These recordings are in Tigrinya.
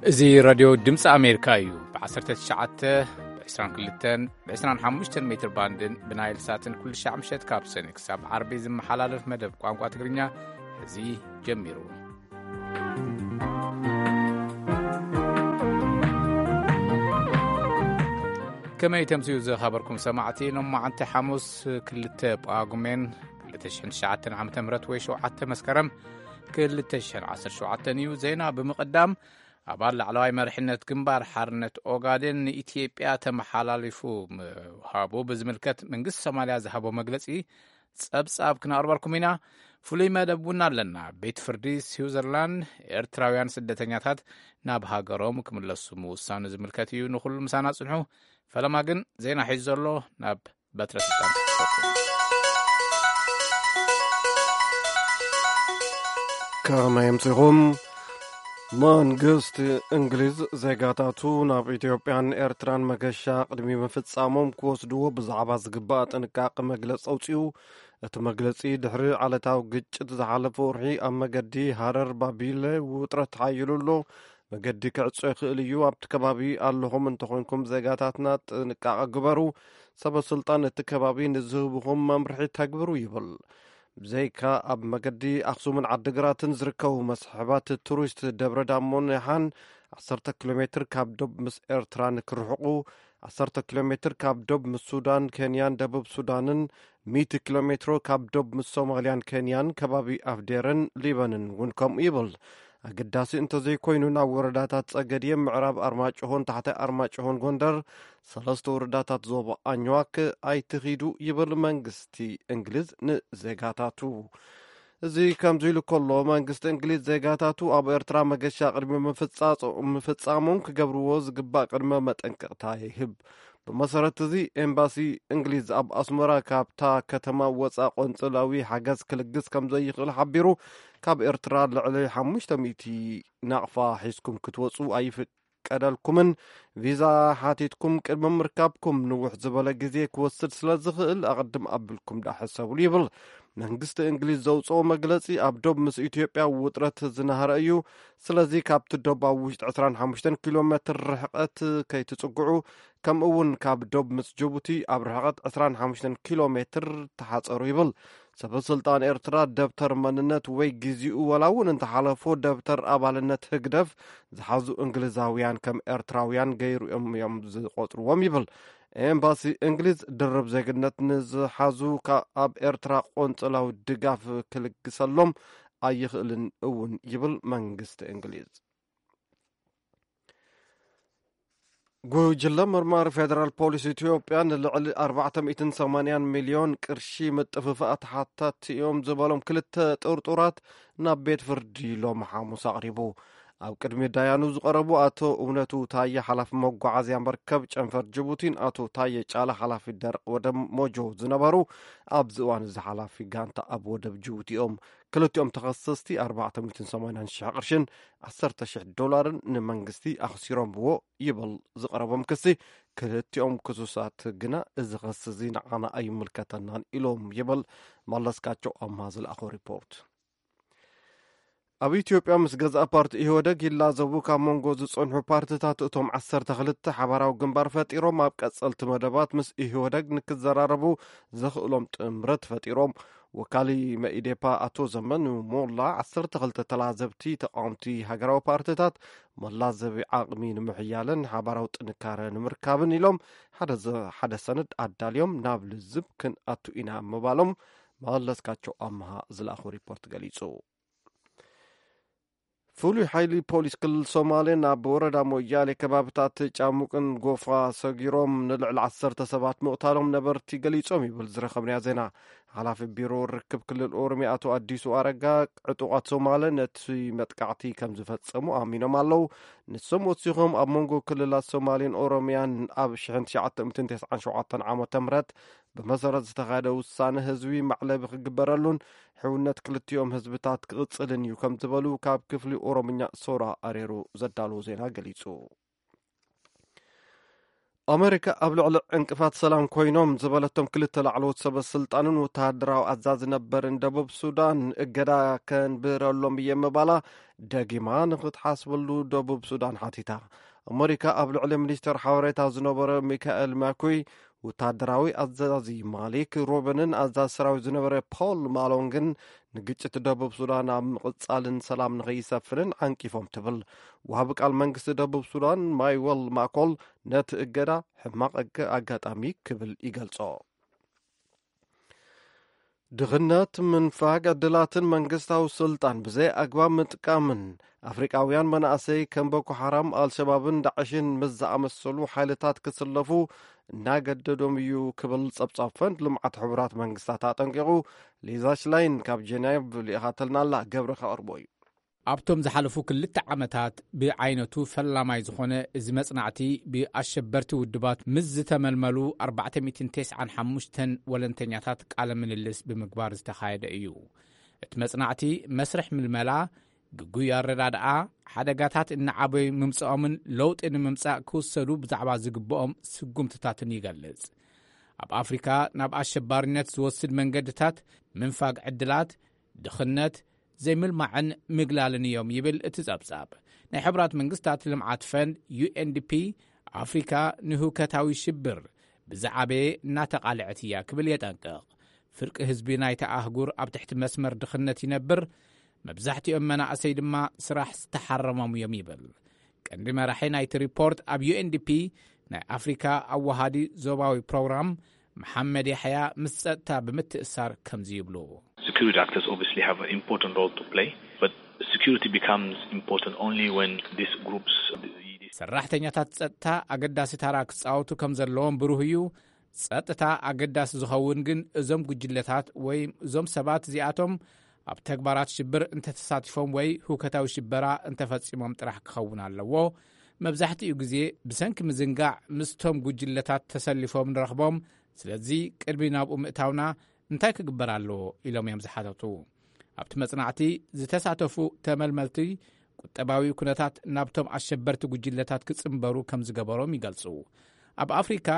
እዚ ራድዮ ድምፂ ኣሜሪካ እዩ። ብ19፣ ብ22፣ ብ25 ሜትር ባንድን ብናይል ሳትን ኩሉ ሻዕ ምሸት ካብ ሰኒ ክሳብ ዓርቢ ዝመሓላለፍ መደብ ቋንቋ ትግርኛ እዚ ጀሚሩ። ከመይ ተምስዩ ዝኸበርኩም ሰማዕቲ፣ ሎማዓንቲ ሓሙስ ክልተ ጳጉሜን ክልተ ሽሕን ትሽዓተን ዓመተ ምህረት ወይ ሸውዓተ መስከረም ክልተ ሽሕን ዓሰርተ ሸውዓተን እዩ። ዜና ብምቕዳም፣ ኣባል ላዕለዋይ መሪሕነት ግንባር ሓርነት ኦጋዴን ንኢትዮጵያ ተመሓላሊፉ ምሃቡ ብዝምልከት መንግስቲ ሶማልያ ዝሃቦ መግለጺ ጸብጻብ ክነቕርበልኩም ኢና። ፍሉይ መደብ እውን ኣለና። ቤት ፍርዲ ስዊዘርላንድ ኤርትራውያን ስደተኛታት ናብ ሃገሮም ክምለሱ ምውሳኑ ዝምልከት እዩ። ንኹሉ ምሳና ጽንሑ። ፈለማ ግን ዜና ሒዙ ዘሎ ናብ በትረ ስልጣን ክስበኩም። ከመይ ኣምሲኹም? መንግስቲ እንግሊዝ ዜጋታቱ ናብ ኢትዮጵያን ኤርትራን መገሻ ቅድሚ ምፍጻሞም ክወስድዎ ብዛዕባ ዝግባእ ጥንቃቄ መግለጺ ኣውጺኡ። እቲ መግለጺ ድሕሪ ዓለታዊ ግጭት ዝሓለፈ ወርሒ ኣብ መገዲ ሃረር ባቢለ ውጥረት ተሓይሉ ኣሎ። መገዲ ክዕጾ ይኽእል እዩ። ኣብቲ ከባቢ ኣለኹም እንተኾይንኩም ዜጋታትና ጥንቃቐ ግበሩ። ሰበ ስልጣን እቲ ከባቢ ንዝህብኹም መምርሒ ተግብሩ ይብል። ብዘይካ ኣብ መገዲ ኣኽሱምን ዓድግራትን ዝርከቡ መስሕባት ቱሪስት ደብረ ዳሞን የሓን ዓሰርተ ኪሎ ሜትር ካብ ዶብ ምስ ኤርትራ ንክርሕቑ፣ ዓሰርተ ኪሎ ሜትር ካብ ዶብ ምስ ሱዳን፣ ኬንያን ደቡብ ሱዳንን፣ ሚእቲ ኪሎ ሜትሮ ካብ ዶብ ምስ ሶማልያን ኬንያን ከባቢ ኣፍዴርን ሊበንን እውን ከምኡ ይብል። ኣገዳሲ እንተዘይኮይኑ ናብ ወረዳታት ጸገድየ፣ ምዕራብ ኣርማጭሆን ታሕታይ ኣርማጭሆን ጎንደር፣ ሰለስተ ወረዳታት ዞባ ኣኝዋክ ኣይትኺዱ ይብል መንግስቲ እንግሊዝ ንዜጋታቱ። እዚ ከምዚ ኢሉ ከሎ፣ መንግስቲ እንግሊዝ ዜጋታቱ ኣብ ኤርትራ መገሻ ቅድሚ ምፍጻጾ-፣ ምፍጻሞም ክገብርዎ ዝግባእ ቅድመ መጠንቀቕታ ይህብ። ብመሰረት እዚ፣ ኤምባሲ እንግሊዝ ኣብ ኣስመራ ካብታ ከተማ ወጻ ቆንጽላዊ ሓገዝ ክልግስ ከም ዘይኽእል ሓቢሩ፣ ካብ ኤርትራ ልዕሊ ሓሙሽተ ሚእቲ ናቕፋ ሒዝኩም ክትወጹ ኣይፍቀደልኩምን፣ ቪዛ ሓቲትኩም ቅድሚ ምርካብኩም ንውሕ ዝበለ ግዜ ክወስድ ስለ ዝኽእል ኣቕድም ኣቢልኩም ደኣ ሕሰብሉ ይብል። መንግስቲ እንግሊዝ ዘውጽኦ መግለጺ፣ ኣብ ዶብ ምስ ኢትዮጵያ ውጥረት ዝናህረ እዩ። ስለዚ ካብቲ ዶብ ኣብ ውሽጢ ዕስራን ሓሙሽተን ኪሎ ሜትር ርሕቀት ከይትጽግዑ፣ ከምኡ እውን ካብ ዶብ ምስ ጅቡቲ ኣብ ርሕቀት ዕስራን ሓሙሽተን ኪሎ ሜትር ተሓጸሩ ይብል። ሰበ ስልጣን ኤርትራ ደብተር መንነት ወይ ግዜኡ ወላ እውን እንተሓለፎ ደብተር ኣባልነት ህግደፍ ዝሓዙ እንግሊዛውያን ከም ኤርትራውያን ገይሮም እዮም ዝቆጽርዎም ይብል። ኤምባሲ እንግሊዝ ድርብ ዜግነት ንዝሓዙ ካብ ኣብ ኤርትራ ቆንጽላዊ ድጋፍ ክልግሰሎም ኣይኽእልን እውን ይብል መንግስቲ እንግሊዝ። ጉጅለ መርማሪ ፌደራል ፖሊስ ኢትዮጵያ ንልዕሊ ኣርባዕተ ሚእትን ሰማንያን ሚልዮን ቅርሺ ምጥፍፋእ ተሓታቲ እዮም ዝበሎም ክልተ ጥርጡራት ናብ ቤት ፍርዲ ሎሚ ሓሙስ ኣቕሪቡ። ኣብ ቅድሚ ዳያኑ ዝቐረቡ ኣቶ እውነቱ ታየ፣ ሓላፊ መጓዓዝያ መርከብ ጨንፈር ጅቡቲን ኣቶ ታየ ጫላ፣ ሓላፊ ደረቕ ወደብ ሞጆ ዝነበሩ፣ ኣብዚ እዋን እዚ ሓላፊ ጋንታ ኣብ ወደብ ጅቡቲ እዮም። ክልቲኦም ተኸሰስቲ ኣርባዕተ ሚእትን ሰማንያን ሽሕ ቅርሽን ዓሰርተ ሽሕ ዶላርን ንመንግስቲ ኣኽሲሮምዎ ይብል ዝቐረቦም ክሲ። ክልቲኦም ክሱሳት ግና፣ "እዚ ክሲ እዚ ንዓና ኣይምልከተናን" ኢሎም ይብል መለስካቸው ኣምሃ ዝለኣኾ ሪፖርት። ኣብ ኢትዮጵያ ምስ ገዛእ ፓርቲ ኢህወደግ ይላዘቡ ካብ መንጎ ዝጸንሑ ፓርትታት እቶም ዓሰርተ ክልተ ሓባራዊ ግንባር ፈጢሮም ኣብ ቀጸልቲ መደባት ምስ ኢህወደግ ንክዘራረቡ ዘኽእሎም ጥምረት ፈጢሮም። ወካሊ መኢዴፓ ኣቶ ዘመኑ ሞላ፣ ዓሰርተ ክልተ ተላዘብቲ ተቃወምቲ ሃገራዊ ፓርትታት መላዘቢ ዓቕሚ ንምሕያልን ሓባራዊ ጥንካረ ንምርካብን ኢሎም ሓደ ዘ-፣ ሓደ ሰነድ ኣዳልዮም ናብ ልዝብ ክንኣቱ ኢና ምባሎም መለስካቸው ኣምሃ ዝለኣኹ ሪፖርት ገሊጹ። ፍሉይ ሓይሊ ፖሊስ ክልል ሶማሌ ናብ ወረዳ ሞያሌ ከባብታት ጫሙቅን ጎፋ ሰጊሮም ንልዕሊ ዓሰርተ ሰባት ምቕታሎም ነበርቲ ገሊጾም ይብል ዝረኸብናዮ ዜና። ሓላፊ ቢሮ ርክብ ክልል ኦሮሚያ ኣቶ ኣዲሱ ኣረጋ፣ ዕጡቓት ሶማሌ ነቲ መጥቃዕቲ ከም ዝፈጸሙ ኣሚኖም ኣለዉ። ንሶም ወሲኾም፣ ኣብ መንጎ ክልላት ሶማሌን ኦሮሚያን ኣብ ሽሕን ትሽዓተ ሚእትን ተስዓን ሸውዓተን ዓመተ ምህረት ብመሰረት ዝተኻየደ ውሳነ ህዝቢ መዕለቢ ክግበረሉን ሕውነት ክልቲኦም ህዝብታት ክቕጽልን እዩ ከም ዝበሉ ካብ ክፍሊ ኦሮምኛ ሶራ ኣሬሩ ዘዳለዎ ዜና ገሊጹ። ኣመሪካ ኣብ ልዕሊ ዕንቅፋት ሰላም ኮይኖም ዝበለቶም ክልተ ላዕለዎት ሰበ ስልጣንን ወተሃደራዊ ኣዛዚ ነበርን ደቡብ ሱዳን እገዳ ከንብረሎም እየ ምባላ ደጊማ ንክትሓስበሉ ደቡብ ሱዳን ሓቲታ። ኣመሪካ ኣብ ልዕሊ ሚኒስተር ሓበሬታ ዝነበረ ሚካኤል ማኩይ፣ ወተሃደራዊ ኣዛዚ ማሊክ ሮበንን ኣዛዚ ሰራዊት ዝነበረ ፖል ማሎንግን ንግጭት ደቡብ ሱዳን ኣብ ምቕጻልን ሰላም ንኸይሰፍንን ዓንቂፎም ትብል። ወሃቢ ቃል መንግስቲ ደቡብ ሱዳን ማይወል ማኮል ነቲ እገዳ ሕማቕ ኣገ-፣ ኣጋጣሚ ክብል ይገልጾ። ድኽነት፣ ምንፋግ ዕድላትን መንግስታዊ ስልጣን ብዘይ ኣግባብ ምጥቃምን ኣፍሪቃውያን መናእሰይ ከም ቦኮ ሓራም፣ ኣልሸባብን ዳዕሽን ምስ ዝኣመሰሉ ሓይልታት ክስለፉ እናገደዶም እዩ ክብል ጸብጻብ ፈንድ ልምዓት ሕቡራት መንግስታት ኣጠንቂቑ። ሊዛ ሽላይን ካብ ጀኔቭ ልኢኻተልና ኣላ፣ ገብረ ከቕርቦ እዩ። ኣብቶም ዝሓለፉ ክልተ ዓመታት ብዓይነቱ ፈላማይ ዝኾነ እዚ መጽናዕቲ ብኣሸበርቲ ውድባት ምስ ዝተመልመሉ ኣርባዕተ ሚእትን ተስዓን ሓሙሽተን ወለንተኛታት ቃለ ምልልስ ብምግባር ዝተኻየደ እዩ። እቲ መጽናዕቲ መስርሕ ምልመላ፣ ግጉይ ኣረዳድኣ፣ ሓደጋታት እናዓበዩ ምምጽኦምን ለውጢ ንምምጻእ ክውሰዱ ብዛዕባ ዝግብኦም ስጉምትታትን ይገልጽ። ኣብ ኣፍሪካ ናብ ኣሸባሪነት ዝወስድ መንገድታት ምንፋግ ዕድላት፣ ድኽነት፣ ዘይምልማዕን ምግላልን እዮም ይብል እቲ ጸብጻብ። ናይ ሕቡራት መንግስታት ልምዓት ፈንድ ዩ ኤን ዲ ፒ፣ ኣፍሪካ ንህውከታዊ ሽብር ብዝዓበየ እናተቓልዐት እያ ክብል የጠንቅቕ። ፍርቂ ህዝቢ ናይታ ኣህጉር ኣብ ትሕቲ መስመር ድኽነት ይነብር፣ መብዛሕትኦም መናእሰይ ድማ ስራሕ ዝተሓረሞም እዮም ይብል። ቀንዲ መራሒ ናይቲ ሪፖርት ኣብ ዩ ኤን ዲ ፒ ናይ ኣፍሪካ ኣወሃዲ ዞባዊ ፕሮግራም መሓመድ ያሕያ ምስ ጸጥታ ብምትእሳር ከምዚ ይብሉ። Security actors obviously have an important role to play, but security becomes important only when these groups ሰራሕተኛታት ጸጥታ ኣገዳሲ ታራ ክጻወቱ ከም ዘለዎም ብሩህ እዩ። ጸጥታ ኣገዳሲ ዝኸውን ግን እዞም ጉጅለታት ወይ እዞም ሰባት እዚኣቶም ኣብ ተግባራት ሽብር እንተተሳቲፎም ወይ ህውከታዊ ሽበራ እንተፈጺሞም ጥራሕ ክኸውን ኣለዎ። መብዛሕትኡ ግዜ ብሰንኪ ምዝንጋዕ ምስቶም ጉጅለታት ተሰሊፎም ንረኽቦም። ስለዚ ቅድሚ ናብኡ ምእታውና እንታይ ክግበር ኣለዎ ኢሎም እዮም ዝሓተቱ። ኣብቲ መጽናዕቲ ዝተሳተፉ ተመልመልቲ ቁጠባዊ ኩነታት ናብቶም ኣሸበርቲ ጉጅለታት ክጽንበሩ ከም ዝገበሮም ይገልጹ። ኣብ ኣፍሪካ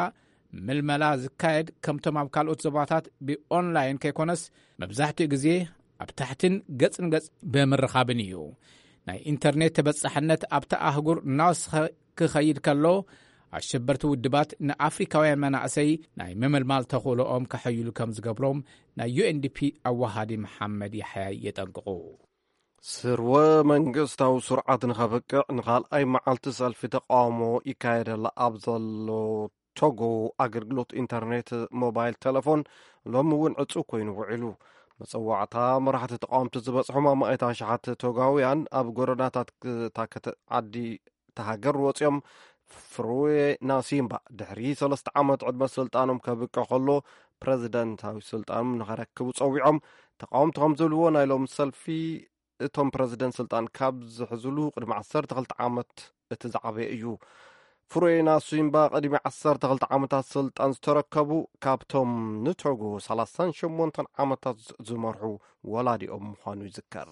ምልመላ ዝካየድ ከምቶም ኣብ ካልኦት ዞባታት ብኦንላይን ከይኮነስ መብዛሕትኡ ግዜ ኣብ ታሕትን ገጽ ንገጽ ብምርኻብን እዩ። ናይ ኢንተርኔት ተበጻሕነት ኣብታ ኣህጉር እናወሰኸ ክኸይድ ከሎ ኣሸበርቲ ውድባት ንኣፍሪካውያን መናእሰይ ናይ ምምልማል ተኽእሎኦም ከሐይሉ ከም ዝገብሮም ናይ ዩ ኤን ዲ ፒ ኣወሃዲ መሓመድ ያሕያ የጠንቅቑ። ስርወ መንግስታዊ ስርዓት ንኸብቅዕ ንኻልኣይ መዓልቲ ሰልፊ ተቃውሞ ይካየደላ ኣብ ዘሎ ቶጎ ኣገልግሎት ኢንተርኔት ሞባይል ቴሌፎን ሎሚ እውን ዕጹ ኮይኑ ውዒሉ። መጸዋዕታ መራሕቲ ተቃወምቲ ዝበጽሖም ኣማኢት ኣሽሓት ቶጋውያን ኣብ ጎደናታት እታ ከተ-፣ ዓዲ እታ ሃገር ወጺኦም ፍሩዌ ናሲምባ ድሕሪ ሰለስተ ዓመት ዕድመ ስልጣኖም ከብቅዕ ከሎ ፕረዚደንታዊ ስልጣኖም ንኸረክቡ ጸዊዖም። ተቃወምቲ ከም ዝብልዎ ናይ ሎም ሰልፊ እቶም ፕረዚደንት ስልጣን ካብ ዝሕዝሉ ቅድሚ ዓሰርተ ክልተ ዓመት እቲ ዝዓበየ እዩ። ፍሩዌ ናሲምባ ቅድሚ ዓሰርተ ክልተ ዓመታት ስልጣን ዝተረከቡ ካብቶም ንቶጎ ሰላሳን ሸሞንተን ዓመታት ዝመርሑ ወላዲኦም ምዃኑ ይዝከር።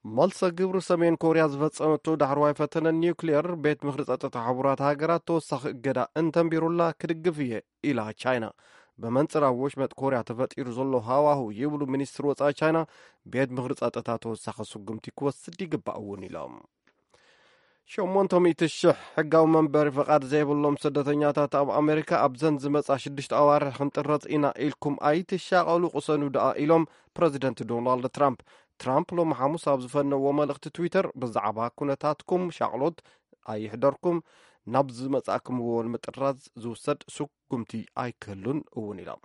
መልሰ ግብሪ ሰሜን ኮርያ ዝፈጸመቶ ዳሕረዋይ ፈተነ ኒውክሊየር ቤት ምኽሪ ጸጥታ ሕቡራት ሃገራት ተወሳኺ እገዳ እንተንቢሩላ ክድግፍ እየ ኢላ ቻይና። ብመንጽር ኣብ ወሽመጥ ኮርያ ተፈጢሩ ዘሎ ሃዋሁ ይብሉ ሚኒስትር ወጻኢ ቻይና፣ ቤት ምኽሪ ጸጥታ ተወሳኺ ስጉምቲ ክወስድ ይግባእ እውን ኢሎም። ሸሞንተ ሚእቲ ሽሕ ሕጋዊ መንበሪ ፍቓድ ዘይብሎም ስደተኛታት ኣብ ኣሜሪካ ኣብዘን ዝመጻ ሽዱሽተ ኣዋርሕ ክንጥረዝ ኢና ኢልኩም ኣይትሻቐሉ፣ ቅሰኑ ደኣ ኢሎም ፕረዚደንት ዶናልድ ትራምፕ። ትራምፕ ሎሚ ሓሙስ ኣብ ዝፈነዎ መልእኽቲ ትዊተር ብዛዕባ ኩነታትኩም ሻቕሎት ኣይሕደርኩም፣ ናብ ዝመጻእኩምዎ ንምጥራዝ ዝውሰድ ስጉምቲ ኣይክህሉን እውን ኢሎም።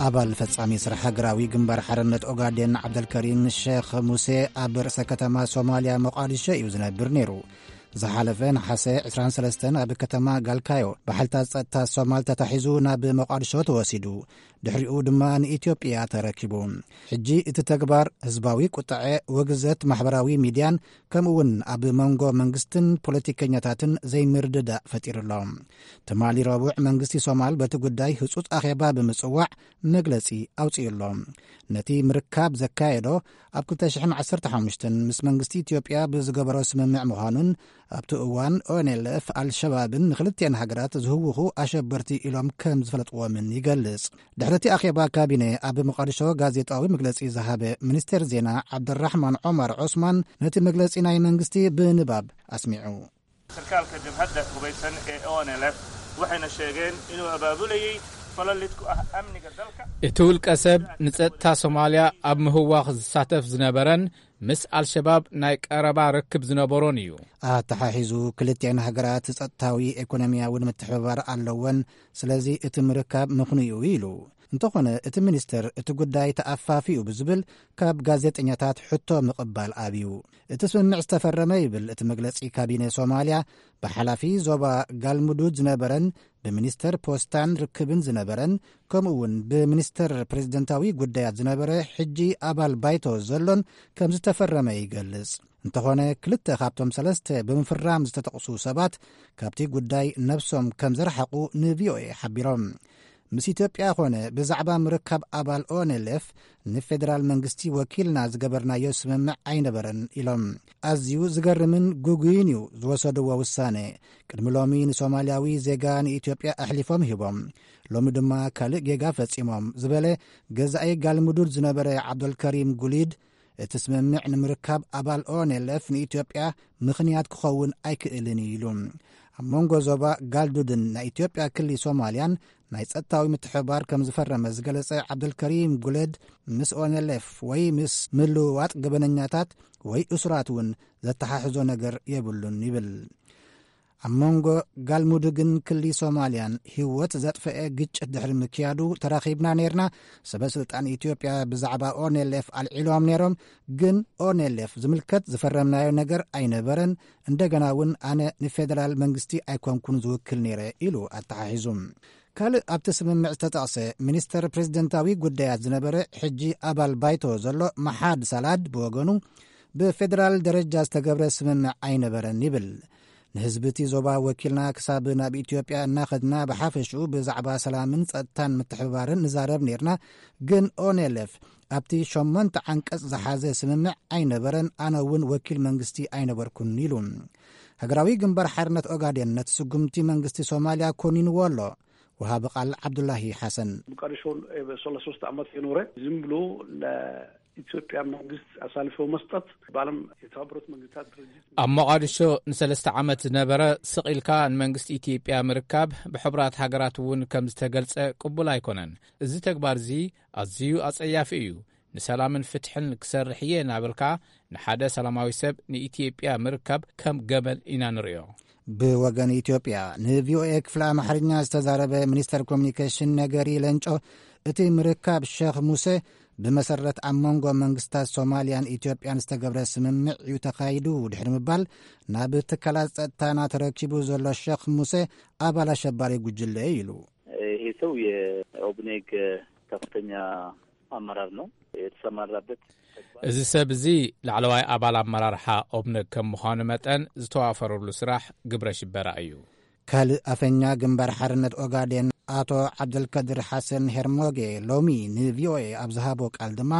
ኣባል ፈጻሚ ስራሕ ሃገራዊ ግንባር ሓርነት ኦጋዴን ዓብደልከሪም ሼኽ ሙሴ ኣብ ርእሰ ከተማ ሶማልያ ሞቃዲሾ እዩ ዝነብር ነይሩ። ዝሓለፈ ነሓሰ ዕስራን ሰለስተን ኣብ ከተማ ጋልካዮ ብሓይልታት ጸጥታ ሶማል ተታሒዙ ናብ መቓድሾ ተወሲዱ። ድሕሪኡ ድማ ንኢትዮጵያ ተረኪቡ። ሕጂ እቲ ተግባር ህዝባዊ ቁጥዐ፣ ውግዘት ማሕበራዊ ሚድያን ከምኡ እውን ኣብ መንጎ መንግስትን ፖለቲከኛታትን ዘይምርድዳእ ፈጢሩ ኣሎ። ትማሊ ረቡዕ መንግስቲ ሶማል በቲ ጉዳይ ህጹጽ ኣኼባ ብምጽዋዕ መግለጺ ኣውጺኡ ኣሎ። ነቲ ምርካብ ዘካየዶ ኣብ ክልተ ሽሕን ዓሰርተ ሓሙሽተን ምስ መንግስቲ ኢትዮጵያ ብዝገበሮ ስምምዕ ምዃኑን ኣብቲ እዋን ኦኤንኤልኤፍ ኣልሸባብን ንክልቲአን ሃገራት ዝህውኹ ኣሸበርቲ ኢሎም ከም ዝፈለጥዎምን ይገልጽ። ድሕሪ እቲ ኣኼባ ካቢነ ኣብ መቓድሾ ጋዜጣዊ መግለጺ ዝሃበ ሚኒስቴር ዜና ዓብደራሕማን ዖማር ዖስማን ነቲ መግለጺ ናይ መንግስቲ ብንባብ ኣስሚዑ። Sarkaalka jabhadda hubaysan ee O N L F waxayna sheegeen inuu abaabulayay falal lid ku ah amniga dalka. እቲ ውልቀ ሰብ ንጸጥታ ሶማልያ ኣብ ምህዋኽ ዝሳተፍ ዝነበረን ምስ ኣልሸባብ ናይ ቀረባ ርክብ ዝነበሮን እዩ። ኣተሓሒዙ ክልቲኣን ሃገራት ጸጥታዊ ኢኮኖሚያዊ ምትሕብባር ኣለወን፣ ስለዚ እቲ ምርካብ ምኽንዩ ኢሉ። እንተኾነ እቲ ሚኒስተር እቲ ጉዳይ ተኣፋፊኡ ብዝብል ካብ ጋዜጠኛታት ሕቶ ምቕባል ኣብዩ። እቲ ስምምዕ ዝተፈረመ ይብል እቲ መግለጺ ካቢነ ሶማልያ ብሓላፊ ዞባ ጋልሙዱድ ዝነበረን ብሚኒስተር ፖስታን ርክብን ዝነበረን ከምኡ እውን ብሚኒስተር ፕሬዝደንታዊ ጉዳያት ዝነበረ ሕጂ ኣባል ባይቶ ዘሎን ከም ዝተፈረመ ይገልጽ። እንተኾነ ክልተ ካብቶም ሰለስተ ብምፍራም ዝተጠቕሱ ሰባት ካብቲ ጉዳይ ነብሶም ከም ዘርሓቑ ንቪኦኤ ሓቢሮም። ምስ ኢትዮጵያ ኾነ ብዛዕባ ምርካብ ኣባል ኦኤንኤልኤፍ ንፌደራል መንግስቲ ወኪልና ዝገበርናዮ ስምምዕ ኣይነበረን ኢሎም። ኣዝዩ ዝገርምን ግጉይን እዩ ዝወሰድዎ ውሳነ። ቅድሚ ሎሚ ንሶማልያዊ ዜጋ ንኢትዮጵያ ኣሕሊፎም ሂቦም፣ ሎሚ ድማ ካልእ ጌጋ ፈጺሞም ዝበለ ገዛኢ ጋልሙዱድ ዝነበረ ዓብደልከሪም ጉሊድ፣ እቲ ስምምዕ ንምርካብ ኣባል ኦኤንኤልኤፍ ንኢትዮጵያ ምኽንያት ክኸውን ኣይክእልን እዩ ኢሉ። ኣብ መንጎ ዞባ ጋልዱድን ናይ ኢትዮጵያ ክሊ ሶማልያን ናይ ጸጥታዊ ምትሕብባር ከም ዝፈረመ ዝገለጸ ዓብደልከሪም ጉሌድ፣ ምስ ኦኤንኤልኤፍ ወይ ምስ ምልውዋጥ ገበነኛታት ወይ እሱራት እውን ዘተሓሕዞ ነገር የብሉን ይብል። ኣብ መንጎ ጋልሙዱግን ክሊ ሶማልያን ህይወት ዘጥፈአ ግጭት ድሕሪ ምክያዱ ተራኺብና ነይርና። ሰበ ስልጣን ኢትዮጵያ ብዛዕባ ኦኔሌፍ ኣልዒሎም ነይሮም፣ ግን ኦኔሌፍ ዝምልከት ዝፈረምናዮ ነገር ኣይነበረን። እንደገና እውን ኣነ ንፌደራል መንግስቲ ኣይኮንኩን ዝውክል ነይረ ኢሉ ኣተሓሒዙ። ካልእ ኣብቲ ስምምዕ ዝተጠቕሰ ሚኒስተር ፕሬዝደንታዊ ጉዳያት ዝነበረ ሕጂ ኣባል ባይቶ ዘሎ መሓድ ሳላድ ብወገኑ ብፌደራል ደረጃ ዝተገብረ ስምምዕ ኣይነበረን ይብል። ንህዝቢ እቲ ዞባ ወኪልና ክሳብ ናብ ኢትዮጵያ እናኸድና ብሓፈሽኡ ብዛዕባ ሰላምን ጸጥታን ምትሕብባርን ንዛረብ ነይርና፣ ግን ኦኔሌፍ ኣብቲ ሸሞንተ ዓንቀጽ ዝሓዘ ስምምዕ ኣይነበረን፣ ኣነ እውን ወኪል መንግስቲ ኣይነበርኩን ኢሉ። ሃገራዊ ግንባር ሓርነት ኦጋዴን ነቲ ስጉምቲ መንግስቲ ሶማልያ ኮኒንዎ ኣሎ። ወሃቢ ቃል ዓብዱላሂ ሓሰን። ሞቃዲሾ ለሶስት ዓመት የኖረ ዝም ብሎ ለኢትዮጵያ መንግስት አሳልፎ መስጠት በዓለም የተባበሩት መንግስታት ድርጅት ኣብ ሞቓድሾ ንሰለስተ ዓመት ዝነበረ ስቕ ኢልካ ንመንግስቲ ኢትዮጵያ ምርካብ ብሕቡራት ሃገራት እውን ከም ዝተገልጸ ቅቡል ኣይኮነን። እዚ ተግባር እዚ ኣዝዩ ኣጸያፊ እዩ። ንሰላምን ፍትሕን ክሰርሕ እየ እናበልካ ንሓደ ሰላማዊ ሰብ ንኢትዮጵያ ምርካብ ከም ገመል ኢና ንርእዮ። ብወገን ኢትዮጵያ ንቪኦኤ ክፍሊ ኣምሓርኛ ዝተዛረበ ሚኒስተር ኮሚኒኬሽን ነገሪ ለንጮ፣ እቲ ምርካብ ሸኽ ሙሴ ብመሰረት ኣብ መንጎ መንግስታት ሶማልያን ኢትዮጵያን ዝተገብረ ስምምዕ እዩ ተኻይዱ ድሕሪ ምባል፣ ናብ ትካላት ጸጥታና ተረኪቡ ዘሎ ሸኽ ሙሴ ኣባል ኣሸባሪ ጉጅለ እዩ ኢሉ። ይሄ ሰው የኦብኔግ ከፍተኛ አመራር ነው የተሰማራበት። እዚ ሰብ እዚ ላዕለዋይ ኣባል ኣመራርሓ ኦብነግ ከም ምዃኑ መጠን ዝተዋፈረሉ ስራሕ ግብረ ሽበራ እዩ። ካልእ ኣፈኛ ግንባር ሓርነት ኦጋዴን ኣቶ ዓብደልከድር ሓሰን ሄርሞጌ ሎሚ ንቪኦኤ ኣብ ዝሃቦ ቃል ድማ፣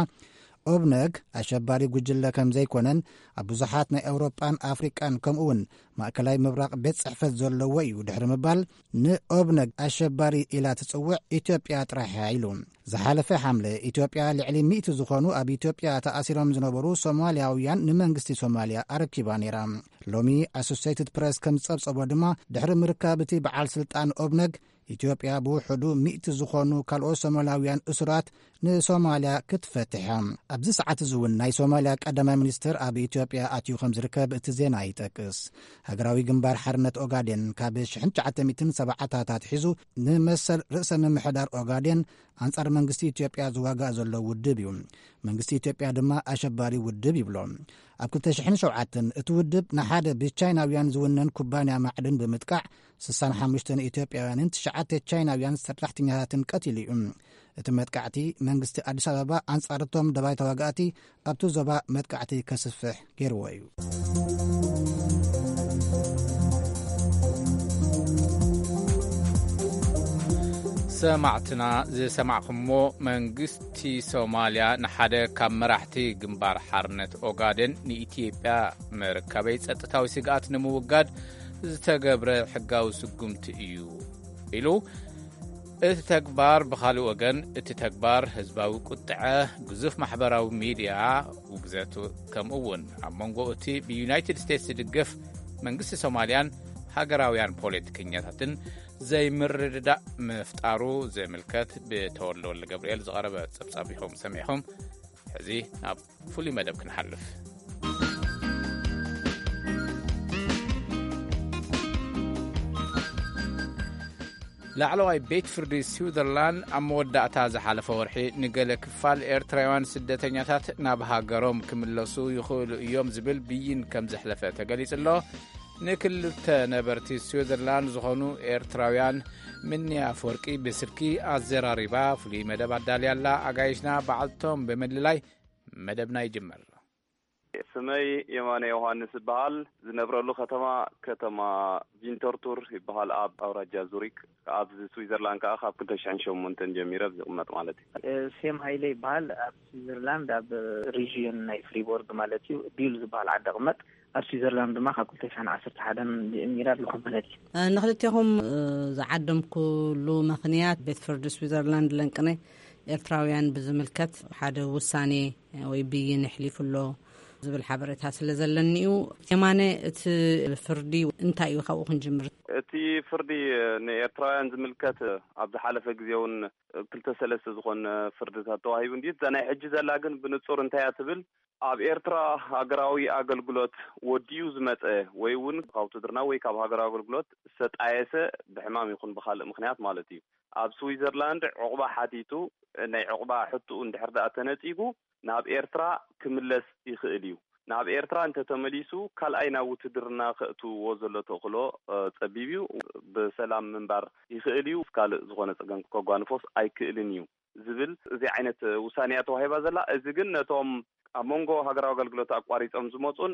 ኦብነግ ኣሸባሪ ጉጅለ ከም ዘይኮነን ኣብ ብዙሓት ናይ ኤውሮጳን ኣፍሪቃን ከምኡውን ማእከላይ ምብራቕ ቤት ጽሕፈት ዘለዎ እዩ ድሕሪ ምባል፣ ንኦብነግ ኣሸባሪ ኢላ ትጽውዕ ኢትዮጵያ ጥራሕ እያ ኢሉ። ዝሓለፈ ሓምለ ኢትዮጵያ ልዕሊ ሚእቲ ዝኾኑ ኣብ ኢትዮጵያ ተኣሲሮም ዝነበሩ ሶማልያውያን ንመንግስቲ ሶማልያ ኣረኪባ ነይራ። ሎሚ ኣሶሴይትድ ፕረስ ከም ዝጸብጸቦ ድማ፣ ድሕሪ ምርካብ እቲ በዓል ስልጣን ኦብነግ፣ ኢትዮጵያ ብውሕዱ ሚእቲ ዝኾኑ ካልኦት ሶማልያውያን እሱራት ንሶማልያ ክትፈትሕ እያ። ኣብዚ ሰዓት እዚ እውን ናይ ሶማልያ ቀዳማይ ሚኒስትር ኣብ ኢትዮጵያ ኣትዩ ከም ዝርከብ እቲ ዜና ይጠቅስ። ሃገራዊ ግንባር ሓርነት ኦጋዴን ካብ ሽሕን ትሽዓተ ሚእትን ሰብዓታት ኣትሒዙ ንመሰል ርእሰ ምምሕዳር ኦጋዴን ኣንጻር መንግስቲ ኢትዮጵያ ዝዋጋእ ዘሎ ውድብ እዩ። መንግስቲ ኢትዮጵያ ድማ ኣሸባሪ ውድብ ይብሎ። ኣብ ክልተ ሽሕን ሸውዓተን እቲ ውድብ ንሓደ ብቻይናውያን ዝውነን ኩባንያ ማዕድን ብምጥቃዕ ስሳን ሓሙሽተን ኢትዮጵያውያንን ትሽዓተ ቻይናውያን ሰራሕተኛታትን ቀቲሉ እዩ። እቲ መጥቃዕቲ መንግስቲ ኣዲስ ኣበባ ኣንጻር እቶም ደባይ ተዋጋእቲ ኣብቲ ዞባ መጥቃዕቲ ከስፍሕ ገይርዎ እዩ። ሰማዕትና ዝሰማዕኹሞ መንግስቲ ሶማልያ ንሓደ ካብ መራሕቲ ግንባር ሓርነት ኦጋደን ንኢትዮጵያ መርከበይ ጸጥታዊ ስግኣት ንምውጋድ ዝተገብረ ሕጋዊ ስጉምቲ እዩ ኢሉ። እቲ ተግባር ብኻልእ ወገን እቲ ተግባር ህዝባዊ ቁጥዐ፣ ግዙፍ ማሕበራዊ ሚድያ ውግዘት፣ ከምኡ እውን ኣብ መንጎ እቲ ብዩናይትድ ስቴትስ ዝድገፍ መንግስቲ ሶማልያን ሃገራውያን ፖለቲከኛታትን ዘይምርድዳእ ምፍጣሩ ዝምልከት ብተወልደ ወልደ ገብርኤል ዝቐረበ ጸብጻብ ኢኹም ሰሚዕኹም። ሕዚ ናብ ፍሉይ መደብ ክንሓልፍ። ላዕለዋይ ቤት ፍርዲ ስዊዘርላንድ ኣብ መወዳእታ ዝሓለፈ ወርሒ ንገለ ክፋል ኤርትራውያን ስደተኛታት ናብ ሃገሮም ክምለሱ ይኽእሉ እዮም ዝብል ብይን ከም ዘሕለፈ ተገሊጹ ኣሎ። ንክልተ ነበርቲ ስዊዘርላንድ ዝኾኑ ኤርትራውያን ምንያ ኣፈወርቂ ብስልኪ ኣዘራሪባ ፍሉይ መደብ ኣዳልያ ኣላ። ኣጋይሽና በዓልቶም ብምልላይ መደብና ይጅመር። ስመይ የማነ ዮሃንስ እበሃል። ዝነብረሉ ከተማ ከተማ ቪንተርቱር ይበሃል፣ ኣብ ኣውራጃ ዙሪክ። ኣብዚ ስዊዘርላንድ ከዓ ካብ ክልተ ሽሕን ሸሞንተን ጀሚረ ዝቕመጥ ማለት እዩ። ሴም ሃይለ ይበሃል። ኣብ ስዊዘርላንድ ኣብ ሪዥዮን ናይ ፍሪቦርግ ማለት እዩ ቢል ዝበሃል ዓዲ ቅመጥ። ኣብ ስዊዘርላንድ ድማ ካብ ክልተ ሽሕን ዓሰርተ ሓደን ጀሚረ ኣለኹ ማለት እዩ። ንክልቴኹም ዝዓደምኩሉ ምኽንያት ቤት ፍርዲ ስዊዘርላንድ ለንቅነ ኤርትራውያን ብዝምልከት ሓደ ውሳኔ ወይ ብይን ኣሕሊፉ ኣሎ ዝብል ሓበሬታ ስለ ዘለኒ እዩ። የማነ፣ እቲ ፍርዲ እንታይ እዩ? ካብኡ ክንጅምር። እቲ ፍርዲ ንኤርትራውያን ዝምልከት ኣብ ዝሓለፈ ግዜ እውን ክልተ ሰለስተ ዝኾነ ፍርድታት ተዋሂቡ እንድዩ። እዛ ናይ ሕጂ ዘላ ግን ብንጹር እንታይ እያ ትብል? ኣብ ኤርትራ ሃገራዊ ኣገልግሎት ወዲኡ ዝመጸ ወይ እውን ካብ ውትድርና ወይ ካብ ሃገራዊ ኣገልግሎት ዝተጣየሰ ብሕማም ይኹን ብኻልእ ምኽንያት ማለት እዩ፣ ኣብ ስዊዘርላንድ ዑቕባ ሓቲቱ ናይ ዑቕባ ሕትኡ እንድሕር ደኣ ተነጺጉ ናብ ኤርትራ ክምለስ ይኽእል እዩ። ናብ ኤርትራ እንተተመሊሱ ካልኣይ ናብ ውትድርና ከእትውዎ ዘሎ ተኽእሎ ጸቢብ እዩ። ብሰላም ምንባር ይኽእል እዩ። ካልእ ዝኾነ ጸገም ከጓንፎስ ኣይክእልን እዩ ዝብል እዚ ዓይነት ውሳኔ እያ ተዋሂባ ዘላ። እዚ ግን ነቶም ኣብ መንጎ ሃገራዊ ኣገልግሎት ኣቋሪጾም ዝመጹን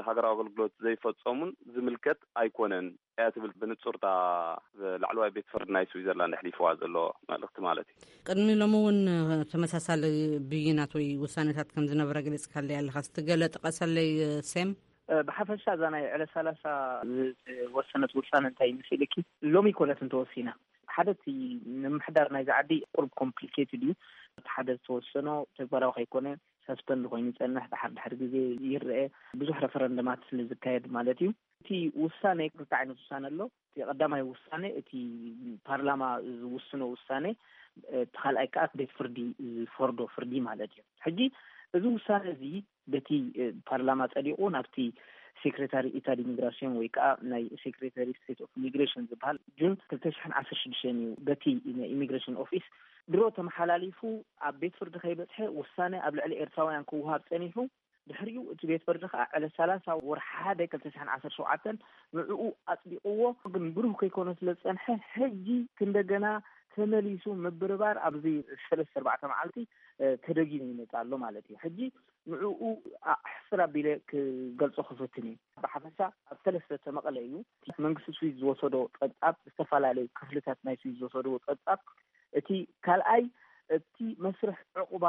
ሃገራዊ ኣገልግሎት ዘይፈጸሙን ዝምልከት ኣይኮነን እያ ትብል ብንጹርታ ላዕለዋይ ቤት ፍርዲ ናይ ስዊዘርላንድ ኣሕሊፍዋ ዘሎ መልእኽቲ ማለት እዩ። ቅድሚ ሎሚ እውን ተመሳሳሊ ብይናት ወይ ውሳኔታት ከም ዝነበረ ገሊጽካለይ ኣለኻ። እስቲ ገለ ጥቀሰለይ ሴም። ብሓፈሻ እዛ ናይ ዕለት ሰላሳ ዝተወሰነት ውሳነ እንታይ ይመስል ኢልኪ፣ ሎሚ ኮነት እንተወሲና ሓደ እቲ ንምምሕዳር ናይዚ ዓዲ ቁሩብ ኮምፕሊኬትድ እዩ። እቲ ሓደ ዝተወሰኖ ተግባራዊ ከይኮነ ሰስፐንድ ኮይኑ ይጸንሕ፣ ድሓር ድሕሪ ግዜ ይረአ፣ ብዙሕ ረፈረንደማት ስለ ዝካየድ ማለት እዩ። እቲ ውሳነ ክልተ ዓይነት ውሳነ ኣሎ። እቲ ቀዳማይ ውሳነ እቲ ፓርላማ ዝውስኖ ውሳነ፣ እቲ ካልኣይ ከዓ ቤት ፍርዲ ዝፈርዶ ፍርዲ ማለት እዩ። ሕጂ እዚ ውሳነ እዚ በቲ ፓርላማ ጸዲቑ ናብቲ ሴክሬታሪ ኢታ ዲሚግራሲዮን ወይ ከዓ ናይ ሴክሬታሪ ስቴት ኦፍ ኢሚግሬሽን ዝበሃል ጁን ክልተ ሽሕን ዓሰርተ ሽዱሽተን እዩ በቲ ናይ ኢሚግሬሽን ኦፊስ ድሮ ተመሓላሊፉ ኣብ ቤት ፍርዲ ከይበጽሐ ውሳነ ኣብ ልዕሊ ኤርትራውያን ክወሃብ ጸኒሑ። ድሕሪኡ እቲ ቤት ፍርዲ ከዓ ዕለት ሰላሳ ወርሒ ሓደ ክልተ ሽሕን ዓሰርተ ሸውዓተን ንዕኡ ኣጽዲቕዎ። ግን ብሩህ ከይኮነ ስለ ዝጸንሐ ሕጂ ክንደገና ተመሊሱ ምብርባር ኣብዚ ሰለስተ ኣርባዕተ መዓልቲ ተደጊሙ ይመጽእ ኣሎ ማለት እዩ። ሕጂ ንዕኡ ሕስር ኣቢለ ክገልጾ ክፍትን እዩ። ብሓፈሻ ኣብ ሰለስተ ተመቐለ እዩ። መንግስቲ ስዊዝ ዝወሰዶ ጸብጻብ፣ ዝተፈላለዩ ክፍልታት ናይ ስዊዝ ዝወሰድዎ ጸብጻብ፣ እቲ ካልኣይ እቲ መስርሕ ዕቑባ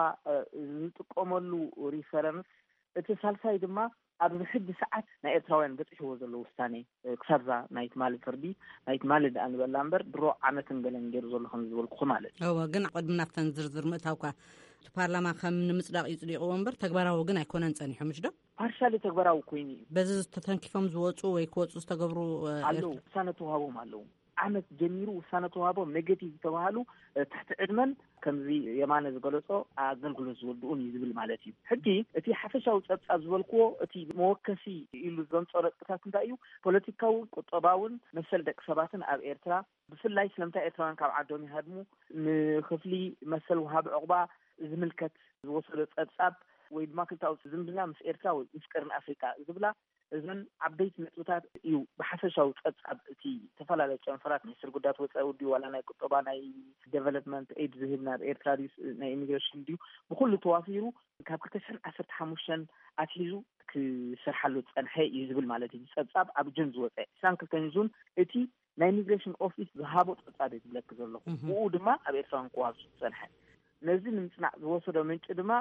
ዝጥቀመሉ ሪፈረንስ፣ እቲ ሳልሳይ ድማ ኣብዚ ሕጂ ሰዓት ናይ ኤርትራውያን በፂሕዎ ዘሎ ውሳኔ፣ ክሳብዛ ናይ ትማሊ ፍርዲ፣ ናይ ትማሊ ደኣ ንበላ እምበር ድሮ ዓመትን ገለን ገይሩ ዘሎ ከም ዝበልኩኹ ማለት እዩ። እወ፣ ግን ቅድሚ ናብተን ዝርዝር ምእታውካ፣ እቲ ፓርላማ ከም ንምፅዳቕ እዩ ፅዲቕዎ እምበር ተግባራዊ ግን ኣይኮነን ፀኒሑ፣ ምሽ ዶ? ፓርሻሊ ተግባራዊ ኮይኑ እዩ። በዚ ተተንኪፎም ዝወፁ ወይ ክወፁ ዝተገብሩ ኣለዉ። ውሳነ ተዋህቦም ኣለዉ። ዓመት ጀሚሩ ውሳነ ተዋህቦም ኔጌቲቭ ዝተባሃሉ ትሕቲ ዕድመን ከምዚ የማነ ዝገለጾ ኣገልግሎት ዝወድኡን እዩ ዝብል ማለት እዩ። ሕጂ እቲ ሓፈሻዊ ጸብጻብ ዝበልክዎ እቲ መወከሲ ኢሉ ዘምጾ ነጥብታት እንታይ እዩ? ፖለቲካውን ቁጠባውን መሰል ደቂ ሰባትን ኣብ ኤርትራ ብፍላይ ስለምንታይ ኤርትራውያን ካብ ዓዶም ይሃድሙ፣ ንክፍሊ መሰል ወሃቢ ዕቑባ ዝምልከት ዝወሰዶ ጸብጻብ ወይ ድማ ክልታዊ ዝምድና ምስ ኤርትራ ወይ ምስ ቀርኒ ኣፍሪካ ዝብላ እዘን ዓበይቲ ነጥብታት እዩ ብሓፈሻዊ ጸብጻብ እቲ ዝተፈላለዩ ጨንፈራት ሚኒስትር ጉዳያት ወፃኢ ድዩ ዋላ ናይ ቁጠባ ናይ ዴቨሎፕመንት ኤድ ዝህብ ናብ ኤርትራ ድዩ ናይ ኢሚግሬሽን ድዩ ብኩሉ ተዋፊሩ ካብ ክልተ ሽሕን ዓሰርተ ሓሙሽተን ኣትሒዙ ክሰርሓሉ ዝፀንሐ እዩ ዝብል ማለት እዩ። ጸብጻብ ኣብ ጁን ዝወፀ ዕስራን ክልተን ጁን እቲ ናይ ኢሚግሬሽን ኦፊስ ዝሃቦ ጸብጻብ እየ ዝብለኪ ዘለኹ። ብኡ ድማ ኣብ ኤርትራውያን ክዋሱ ዝጸንሐ ነዚ ንምጽናዕ ዝወሰዶ ምንጪ ድማ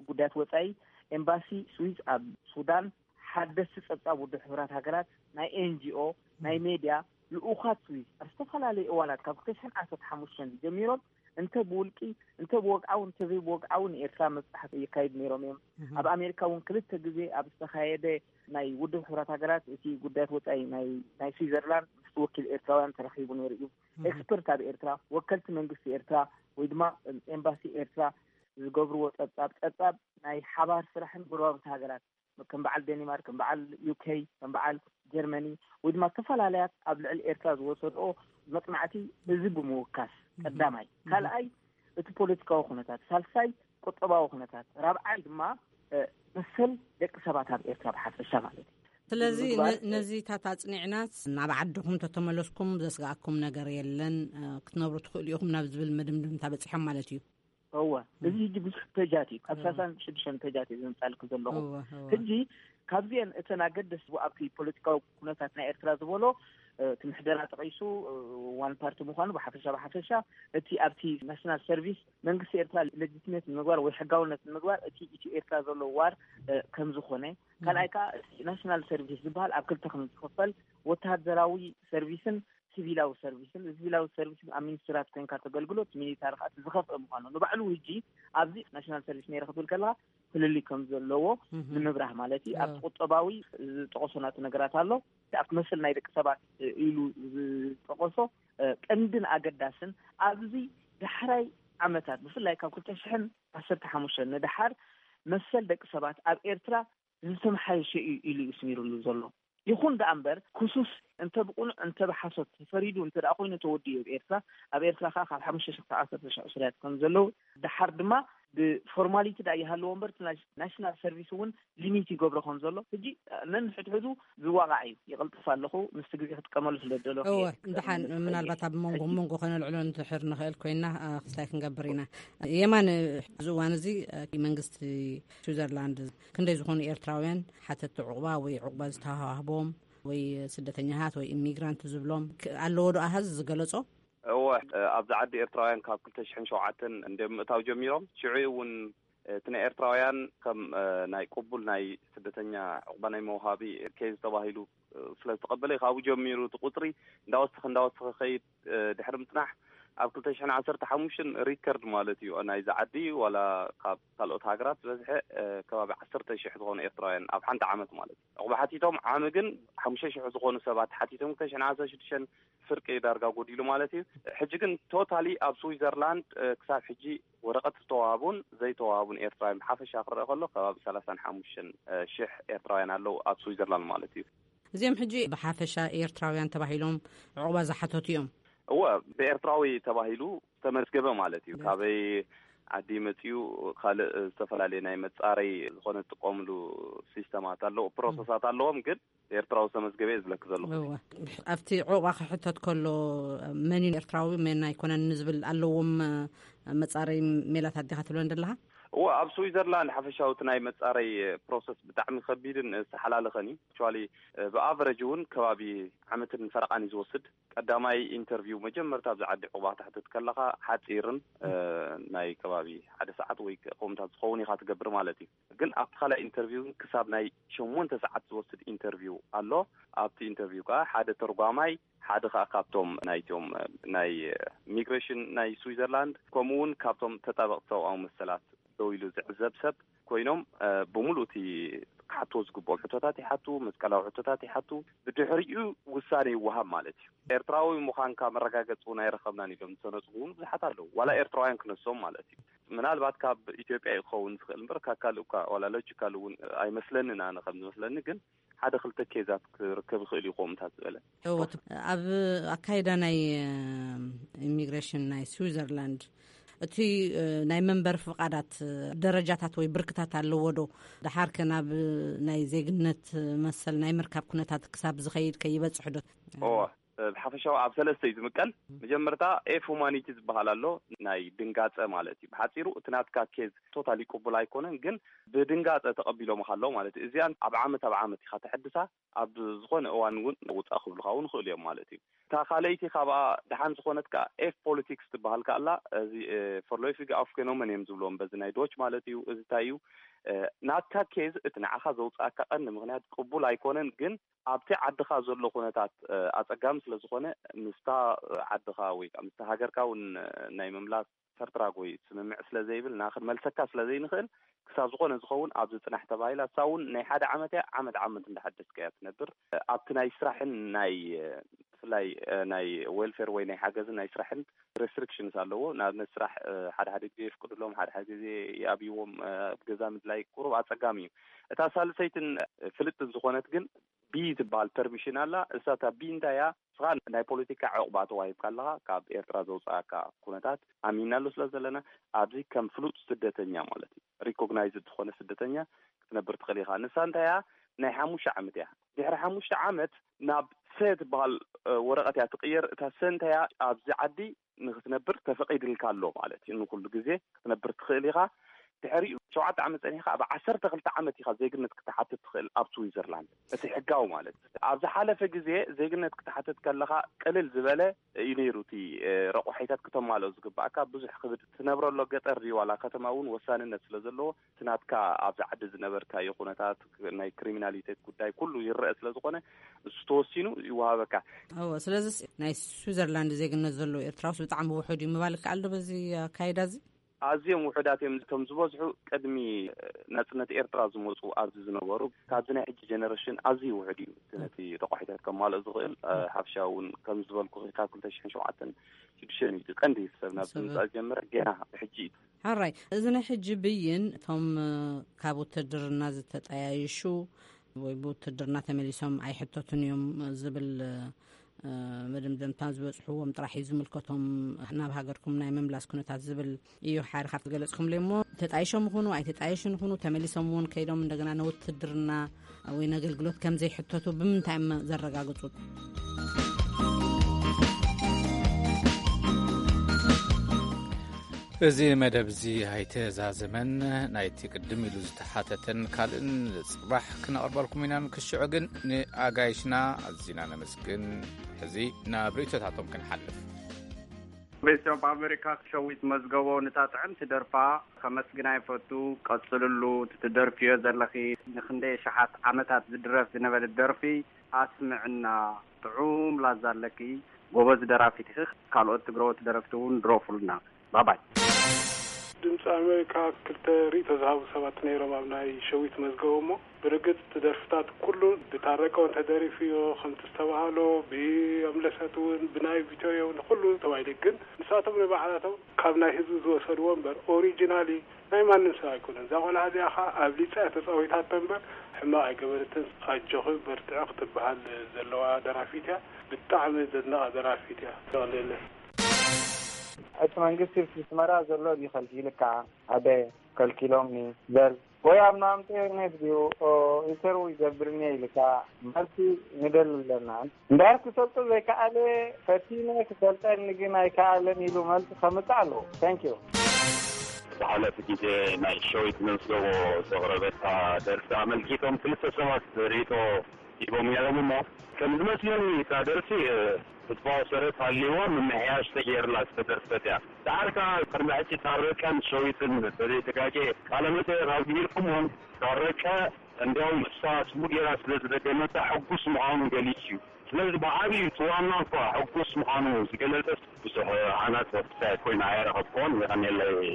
ጉዳያት ወጻኢ ኤምባሲ ስዊዝ ኣብ ሱዳን ሓደስቲ ጸብጻብ ውድብ ሕቡራት ሃገራት ናይ ኤንጂኦ ናይ ሜድያ ልኡኻት ስዊዝ ኣብ ዝተፈላለዩ እዋናት ካብ ክልተ ሽሕን ዓሰርተ ሓሙሽተን ጀሚሮም እንተ ብውልቂ እንተ ብወግዓዊ እንተ ዘይብወግዓዊ ንኤርትራ መብጻሕቲ የካይዱ ነይሮም እዮም። ኣብ ኣሜሪካ እውን ክልተ ግዜ ኣብ ዝተኻየደ ናይ ውድብ ሕቡራት ሃገራት እቲ ጉዳያት ወጻኢ ናይ ናይ ስዊዘርላንድ ምስ ወኪል ኤርትራውያን ተረኺቡ ነይሩ እዩ። ኤክስፐርት ኣብ ኤርትራ ወከልቲ መንግስቲ ኤርትራ ወይ ድማ ኤምባሲ ኤርትራ ዝገብርዎ ጸብጻብ ጸብጻብ ናይ ሓባር ስራሕን ጎረባብቲ ሃገራት ከም በዓል ዴኒማርክ ከም በዓል ዩኬ ከም በዓል ጀርመኒ ወይ ድማ ተፈላለያት ኣብ ልዕሊ ኤርትራ ዝወሰድኦ መጽናዕቲ እዚ ብምውካስ ቀዳማይ ካልኣይ እቲ ፖለቲካዊ ኩነታት ሳልሳይ ቁጠባዊ ኩነታት ራብዓይ ድማ መሰል ደቂ ሰባት ኣብ ኤርትራ ብሓፈሻ ማለት እዩ። ስለዚ ነዚታት ኣፅኒዕናስ ናብ ዓድኹም ተተመለስኩም ዘስጋኣኩም ነገር የለን ክትነብሩ ትኽእሉ ኢኹም ናብ ዝብል መድምድምታ በፂሖም ማለት እዩ። እወ፣ እዚ ሕጂ ብዙሕ ፔጃት እዩ። ካብ ሳሳን ሽዱሽተን ፔጃት እዩ ዘምፃልክ ዘለኹ። ሕጂ ካብዚአን እተን ኣገደስ ኣብቲ ፖለቲካዊ ኩነታት ናይ ኤርትራ ዝበሎ እቲ ምሕደራ ጠቂሱ ዋን ፓርቲ ምኳኑ ብሓፈሻ ብሓፈሻ እቲ ኣብቲ ናሽናል ሰርቪስ መንግስቲ ኤርትራ ሌጂትሜት ንምግባር ወይ ሕጋውነት ንምግባር እቲ ኢትዮ ኤርትራ ዘሎ ዋር ከም ዝኾነ ካልኣይ ከዓ እቲ ናሽናል ሰርቪስ ዝበሃል ኣብ ክልተ ከም ዝኽፈል ወተሃደራዊ ሰርቪስን ሲቪላዊ ሰርቪስን እዚ ሲቪላዊ ሰርቪስ ኣብ ሚኒስትራት ኮይንካ ተገልግሎ እቲ ሚሊታሪ ከዓ ዝኸፍአ ምኳኑ ንባዕሉ ህጂ ኣብዚ ናሽናል ሰርቪስ ነይረ ክትብል ከለካ ፍልልይ ከም ዘለዎ ንምብራህ ማለት እዩ። ኣብ ቁጠባዊ ዝጠቀሶ ናቱ ነገራት ኣሎ። ኣብ መሰል ናይ ደቂ ሰባት ኢሉ ዝጠቀሶ ቀንድን ኣገዳስን ኣብዚ ዳሕራይ ዓመታት ብፍላይ ካብ ክልተ ሽሕን ዓሰርተ ሓሙሽተን ንደሓር መሰል ደቂ ሰባት ኣብ ኤርትራ ዝተመሓየሸ እዩ ኢሉ እዩ ስሚሩሉ ዘሎ። ይኹን ደኣ እምበር ክሱስ እንተ ብቁኑዕ እንተ ብሓሶት ተፈሪዱ እንተ ደኣ ኮይኑ ተወዲኡ ኣብ ኤርትራ ኣብ ኤርትራ ከዓ ካብ ሓሙሽተ ሽሕ ክሳብ ዓሰርተ ሽሕ እስርያት ከም ዘለዉ ደሓር ድማ ብፎርማሊቲ ደኣ ይሃለዎ እምበር ናሽናል ሰርቪስ እውን ሊሚት ይገብሮ ከም ዘሎ ሕጂ ነንሕድሕዱ ዝዋቃዕ እዩ። ይቕልጥፍ ኣለኹ ምስቲ ግዜ ክጥቀመሉ ስለ ደሎ እወ እንድሓን ምናልባት ኣብ መንጎ መንጎ ከነልዕሎ ንድሕር ንኽእል ኮይና ክስታይ ክንገብር ኢና። የማን እዚ እዋን እዚ መንግስቲ ስዊዘርላንድ ክንደይ ዝኾኑ ኤርትራውያን ሓተቲ ዑቕባ ወይ ዑቕባ ዝተዋህቦም ወይ ስደተኛታት ወይ ኢሚግራንት ዝብሎም ኣለዎ ዶ ኣሃዝ ዝገለጾ? እወ፣ ኣብዚ ዓዲ ኤርትራውያን ካብ ክልተ ሽሕን ሸውዓተን እንደ ምእታው ጀሚሮም ሽዑ እውን እቲ ናይ ኤርትራውያን ከም ናይ ቅቡል ናይ ስደተኛ ዕቕባ ናይ መውሃቢ ኬዝ ተባሂሉ ስለ ዝተቐበለ ካብኡ ጀሚሩ እቲ ቁፅሪ እንዳወሰኸ እንዳወሰኸ ከይድ ድሕሪ ምፅናሕ ኣብ ክልተ ሽሕን ዓሰርተ ሓሙሽተን ሪከርድ ማለት እዩ ናይዚ ዓዲ ዋላ ካብ ካልኦት ሃገራት ዝበዝሐ ከባቢ ዓሰርተ ሽሕ ዝኾኑ ኤርትራውያን ኣብ ሓንቲ ዓመት ማለት እዩ። ዕቑባ ሓቲቶም ዓሚ ግን ሓሙሽተ ሽሕ ዝኾኑ ሰባት ሓቲቶም ክልተ ሽሕን ዓሰርተ ሽዱሽተን ፍርቂ ዳርጋ ጎዲሉ ማለት እዩ። ሕጂ ግን ቶታሊ ኣብ ስዊዘርላንድ ክሳብ ሕጂ ወረቐት ዝተዋሃቡን ዘይተዋሃቡን ኤርትራውያን ብሓፈሻ ክረአ ከሎ ከባቢ ሰላሳን ሓሙሽተን ሽሕ ኤርትራውያን ኣለዉ ኣብ ስዊዘርላንድ ማለት እዩ። እዚኦም ሕጂ ብሓፈሻ ኤርትራውያን ተባሂሎም ዕቑባ ዝሓተቱ እዮም። እወ፣ ብኤርትራዊ ተባሂሉ ዝተመዝገበ ማለት እዩ። ካበይ ዓዲ መፅኡ ካልእ ዝተፈላለየ ናይ መፃረይ ዝኾነ ዝጥቀምሉ ሲስተማት ኣለዎ፣ ፕሮሰሳት ኣለዎም። ግን ኤርትራዊ ዝተመዝገበ እየ ዝብለኪ ዘለኹ። እወ። ኣብቲ ዕቑባ ክሕተት ከሎ መን እዩ ኤርትራዊ መን ኣይኮነን ንዝብል ኣለዎም መፃረይ ሜላታት ዲኻ ትብለን ዘለኻ? እወ፣ ኣብ ስዊዘርላንድ ሓፈሻዊ እቲ ናይ መፃረይ ፕሮሰስ ብጣዕሚ ከቢድን ዝተሓላለኸን እዩ። ኣክቹዋሊ ብኣቨረጅ እውን ከባቢ ዓመትን ፈረቓን እዩ ዝወስድ። ቀዳማይ ኢንተርቪው መጀመርታ ኣብዚ ዓዲ ዕቑባ ክትሕትት ከለኻ ሓፂርን ናይ ከባቢ ሓደ ሰዓት ወይ ከምኡታት ዝኸውን ኢኻ ትገብር ማለት እዩ። ግን ኣብቲ ካልኣይ ኢንተርቪው ግን ክሳብ ናይ ሸሞንተ ሰዓት ዝወስድ ኢንተርቪው ኣሎ። ኣብቲ ኢንተርቪው ከዓ ሓደ ተርጓማይ ሓደ ከዓ ካብቶም ናይቶም ናይ ኢሚግሬሽን ናይ ስዊዘርላንድ ከምኡ እውን ካብቶም ተጣበቕቲ ሰብኣዊ መሰላት ደው ኢሉ ዝዕዘብ ሰብ ኮይኖም ብምሉእ እቲ ክሓትዎ ዝግብኦም ሕቶታት ይሓቱ፣ መስቀላዊ ሕቶታት ይሓቱ። ብድሕሪኡ ውሳነ ይወሃብ ማለት እዩ። ኤርትራዊ ምዃንካ መረጋገጺ እውን ኣይረኸብናን ኢሎም ዝሰነጹ እውን ብዙሓት ኣለዉ። ዋላ ኤርትራውያን ክነሶም ማለት እዩ። ምናልባት ካብ ኢትዮጵያ እዩ ክኸውን ዝኽእል እምበር ካብ ካልእ እኳ ዋላ ሎጂካል እውን ኣይመስለንን። ኣነ ከም ዝመስለኒ ግን ሓደ ክልተ ኬዛት ክርከብ ይኽእል እዩ ከምኡታት ዝበለ። እወ፣ ኣብ ኣካይዳ ናይ ኢሚግሬሽን ናይ ስዊዘርላንድ እቲ ናይ መንበር ፍቓዳት ደረጃታት ወይ ብርክታት ኣለዎ ዶ? ደሓር ከ ናብ ናይ ዜግነት መሰል ናይ ምርካብ ኩነታት ክሳብ ዝኸይድ ከይበጽሕ ዶ? እወ፣ ብሓፈሻዊ ኣብ ሰለስተ እዩ ዝምቀል። መጀመርታ ኤፍ ሁማኒቲ ዝበሃል ኣሎ፣ ናይ ድንጋጸ ማለት እዩ። ብሓጺሩ እቲ ናትካ ኬዝ ቶታሊ ቅቡል ኣይኮነን፣ ግን ብድንጋጸ ተቐቢሎምኻ ኣለዉ ማለት እዩ። እዚኣን ኣብ ዓመት ኣብ ዓመት ኢኻ ተሐድሳ፣ ኣብ ዝኾነ እዋን እውን ውጻእ ክብሉኻ እውን ይኽእሉ እዮም ማለት እዩ። እታ ካልኣይቲ ካብኣ ደሓን ዝኾነት ከኣ ኤፍ ፖሊቲክስ ትበሃል ከኣ ኣላ። እዚ ፎርሎፊግ ኣፍገኖመን እዮም ዝብልዎም በዚ ናይ ዶች ማለት እዩ። እዚ እንታይ እዩ? ናትካ ኬዝ፣ እቲ ንዓኻ ዘውጽኣካ ቀንዲ ምኽንያት ቅቡል ኣይኮነን፣ ግን ኣብቲ ዓድኻ ዘሎ ኩነታት ኣጸጋሚ ስለ ዝኾነ፣ ምስታ ዓድኻ ወይ ከዓ ምስታ ሃገርካ እውን ናይ ምምላስ ፈርትራግ ወይ ስምምዕ ስለ ዘይብልና ክንመልሰካ ስለ ዘይንኽእል፣ ክሳብ ዝኾነ ዝኸውን ኣብዚ ጽናሕ ተባሂላ፣ እሳ እውን ናይ ሓደ ዓመት እያ። ዓመት ዓመት እንዳሓደስካ እያ ትነብር። ኣብቲ ናይ ስራሕን ናይ ብፍላይ ናይ ዌልፌር ወይ ናይ ሓገዝን ናይ ስራሕን ሬስትሪክሽንስ ኣለዎ። ንኣብነት ስራሕ ሓደ ሓደ ግዜ የፍቅድሎም፣ ሓደ ሓደ ግዜ ይኣብይዎም። ኣብ ገዛ ምድላይ ቁሩብ ኣጸጋሚ እዩ። እታ ሳልሰይትን ፍልጥን ዝኾነት ግን ቢ ትበሃል ፐርሚሽን ኣላ። እሳ እታ ቢ እንታይ እያ? ንስኻ ናይ ፖለቲካ ዕቑባ ተዋሂብካ ኣለኻ። ካብ ኤርትራ ዘውፅኣካ ኩነታት ኣሚንናሉ ስለ ዘለና፣ ኣብዚ ከም ፍሉጥ ስደተኛ ማለት እዩ፣ ሪኮግናይዝድ ዝኾነ ስደተኛ ክትነብር ትኽእል ኢኻ። ንሳ እንታይ እያ? ናይ ሓሙሽተ ዓመት እያ። ድሕሪ ሓሙሽተ ዓመት ናብ ሰ ትበሃል ወረቐት እያ ትቕየር። እታ ሰ እንታይ እያ? ኣብዚ ዓዲ ንክትነብር ተፈቒድልካ ኣሎ ማለት እዩ። ንኩሉ ግዜ ክትነብር ትኽእል ኢኻ። ድሕሪኡ ሸውዓተ ዓመት ጸኒሕካ ኣብ ዓሰርተ ክልተ ዓመት ኢኻ ዜግነት ክትሓትት ትኽእል ኣብ ስዊዘርላንድ፣ እቲ ሕጋዊ ማለት። ኣብ ዝሓለፈ ግዜ ዜግነት ክትሓትት ከለኻ ቅልል ዝበለ እዩ ነይሩ። እቲ ረቑሒታት ክተማልኦ ዝግባእካ ብዙሕ ክብድ ትነብረሎ ገጠር ድዩ ዋላ ከተማ እውን ወሳንነት ስለ ዘለዎ፣ እቲ ናትካ ኣብዚ ዓዲ ዝነበርካዮ ኩነታት፣ ናይ ክሪሚናሊቴት ጉዳይ ኩሉ ይረአ ስለ ዝኾነ፣ እሱ ተወሲኑ ይወሃበካ። እዎ፣ ስለዚስ ናይ ስዊዘርላንድ ዜግነት ዘለዎ ኤርትራውስ ብጣዕሚ ውሑድ እዩ ምባል ይከኣል ዶ በዚ ኣካይዳ እዚ? ኣዝዮም ውሑዳት እዮም። እቶም ዝበዝሑ ቅድሚ ናጽነት ኤርትራ ዝመጹ ኣብዚ ዝነበሩ፣ ካብዚ ናይ ሕጂ ጀነሬሽን ኣዝዩ ውሑድ እዩ። እቲ ነቲ ረቋሒታት ከማልኦ ዝኽእል፣ ሓፈሻ እውን ከም ዝበልኩ ካብ ክልተ ሽሕን ሸውዓተን ሽዱሽተ ሚእቲ ቀንዲ ሰብ ናብዚ ምምጻእ ዝጀመረ ገና ሕጂ እዩ። ሕራይ፣ እዚ ናይ ሕጂ ብይን እቶም ካብ ውትድርና ዝተጠያየሹ ወይ ብውትድርና ተመሊሶም ኣይሕተቱን እዮም ዝብል መደምደምታ ዝበጽሕዎም ጥራሕ እዩ ዝምልከቶም። ናብ ሃገርኩም ናይ ምምላስ ኩነታት ዝብል እዩ ሓደ ካብቲ ገለጽኩምለይ። እሞ ተጣይሾም ይኹኑ ኣይተጣየሹን ይኹኑ፣ ተመሊሶም እውን ከይዶም እንደገና ንውትድርና ወይ ነገልግሎት ከም ዘይሕተቱ ብምንታይ እዮም ዘረጋግጹ? እዚ መደብ እዚ ኣይተዛዘመን። ናይቲ ቅድም ኢሉ ዝተሓተተን ካልእን ጽባሕ ክነቕርበልኩም ኢና። ንክሽዑ ግን ንኣጋይሽና ኣዚና ነመስግን። ሕዚ ናብ ርእይቶታቶም ክንሓልፍ። ቤተሰብ ኣሜሪካ ሸዊት መዝገቦ፣ ንታ ጥዕምቲ ደርፋ ከመስግና ይፈቱ። ቀጽልሉ፣ ትደርፍዮ ዘለኺ ንክንደይ ሸሓት ዓመታት ዝድረፍ ዝነበረ ደርፊ ኣስምዕና። ጥዑም ላዛ ኣለኪ፣ ጎበዝ ደራፊት ኢኺ። ካልኦት ትግረዎት ደረፍቲ እውን ድረፉልና። ባባይ። ድምፂ ኣሜሪካ ክልተ ርእይቶ ዝሃቡ ሰባት ነይሮም ኣብ ናይ ሸዊት መዝገቦ። እሞ ብርግፅ እቲ ደርፍታት ኩሉ ብታረቀ እውን ተደሪፉዮ፣ ከምቲ ዝተባሃሎ ብኣምለሰት እውን ብናይ ቪቶዮ እውን ኩሉ ተባሂሉ። ግን ንሳቶም ንባዕላቶም ካብ ናይ ህዝቢ ዝወሰድዎ እምበር ኦሪጂናሊ ናይ ማንም ሰብ ኣይኮነን። እዛ ቆልዓ እዚኣ ከዓ ኣብሊፃ እያ ተፃዊታቶ እምበር ሕማቕ ኣይገበረትን። ኣጆኺ በርትዒ ክትበሃል ዘለዋ ደራፊት እያ። ብጣዕሚ ዘድንቓ ደራፊት እያ። ተቐልየለይ። እቲ መንግስቲ ኣብ ኣስመራ ዘሎ ድዩ ከልኪልካ? ኣደ ከልኪሎምኒ በል፣ ወይ ኣብ ማምተ ኔት ድዩ ኢንተርቪው ይገብርኒ ኢልካ መልሲ ንደሊ ኣለና። እምበኣር ክሰልጦ ዘይከኣለ፣ ፈቲነ ክሰልጠኒ ግን ኣይከኣለን ኢሉ መልሲ ከምጽእ ኣለዎ። ታንክ ዩ። ዝሓለፈ ግዜ ናይ ሸዊት መዝገቦ ዘቕረበታ ደርፊ ኣመልኪቶም ክልተ ሰባት ርእይቶ ሂቦም ነይሮም። እሞ ከም ዝመስለኒ እታ ደርፊ ህዝባዊ ሰረት ሃልይዋ ምምሕያሽ ተገይርላ ዝተደርፈት እያ። ደሓር ከኣ ቅድሚ ሕጂ ታረቀን ሸዊትን ተዘይተጋግየ ቃለ መጠየቕ ኣብ ገይርኩምዎም፣ ታረቀ እንዲያውም እሳ ስሙ ገይራ ስለ ዝደገመታ ሕጉስ ምዃኑ ገሊጹ እዩ። ስለዚ ብዓብዩ እቲ ዋና እኳ ሕጉስ ምዃኑ ዝገለጸስ ብዙሕ ዓናጽ ወፍሳ ኮይና ኣይረኸብኩዎን። የቐንየለይ።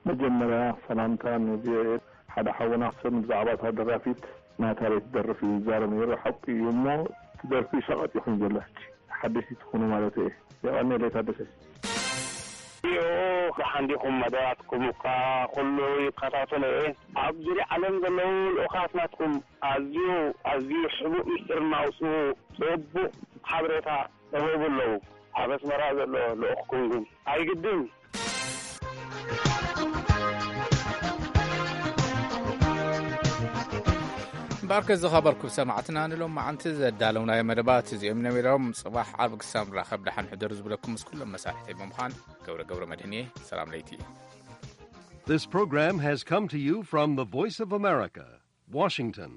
መጀመርያ ሰላምታ ንቪኦኤ። ሓደ ሓውና ክሰም ብዛዕባ እታ ደራፊት ናታ ቤት ደርፍ እዩ ዝዛረብ ነይሩ። ሓቂ እዩ እሞ፣ እቲ ደርፊ ሸቐጥ ይኹን ዘሎ ሕጂ ሓደስቲ ትኾኑ ማለት እየ። የቐኔ ለይታ ደሰ ዮ፣ ብሓንዲኹም መደባትኩም እኳ ኩሉ ይከታተሎ እየ። ኣብ ዙርያ ዓለም ዘለዉ ልኡኻት ናትኩም ኣዝዩ ኣዝዩ ሕቡእ ምስጢር እናውፅኡ ጽቡቕ ሓበሬታ ይህቡ ኣለዉ። ኣብ ኣስመራ ዘሎ ልኡኽኩም ግን ኣይግድን። እምበኣርከ ዝኸበርኩም ሰማዕትና፣ ንሎም መዓንቲ ዘዳለውናዮ መደባት እዚኦም ነቢሮም። ጽባሕ ዓርቢ ክሳብ ንራኸብ ደሓን ሕደሩ ዝብለኩም ምስ ኩሎም መሳርሕተይ ብምዃን ገብረ ገብረ መድህን እየ። ሰላም ለይቲ። This program has come to you from the Voice of America, Washington.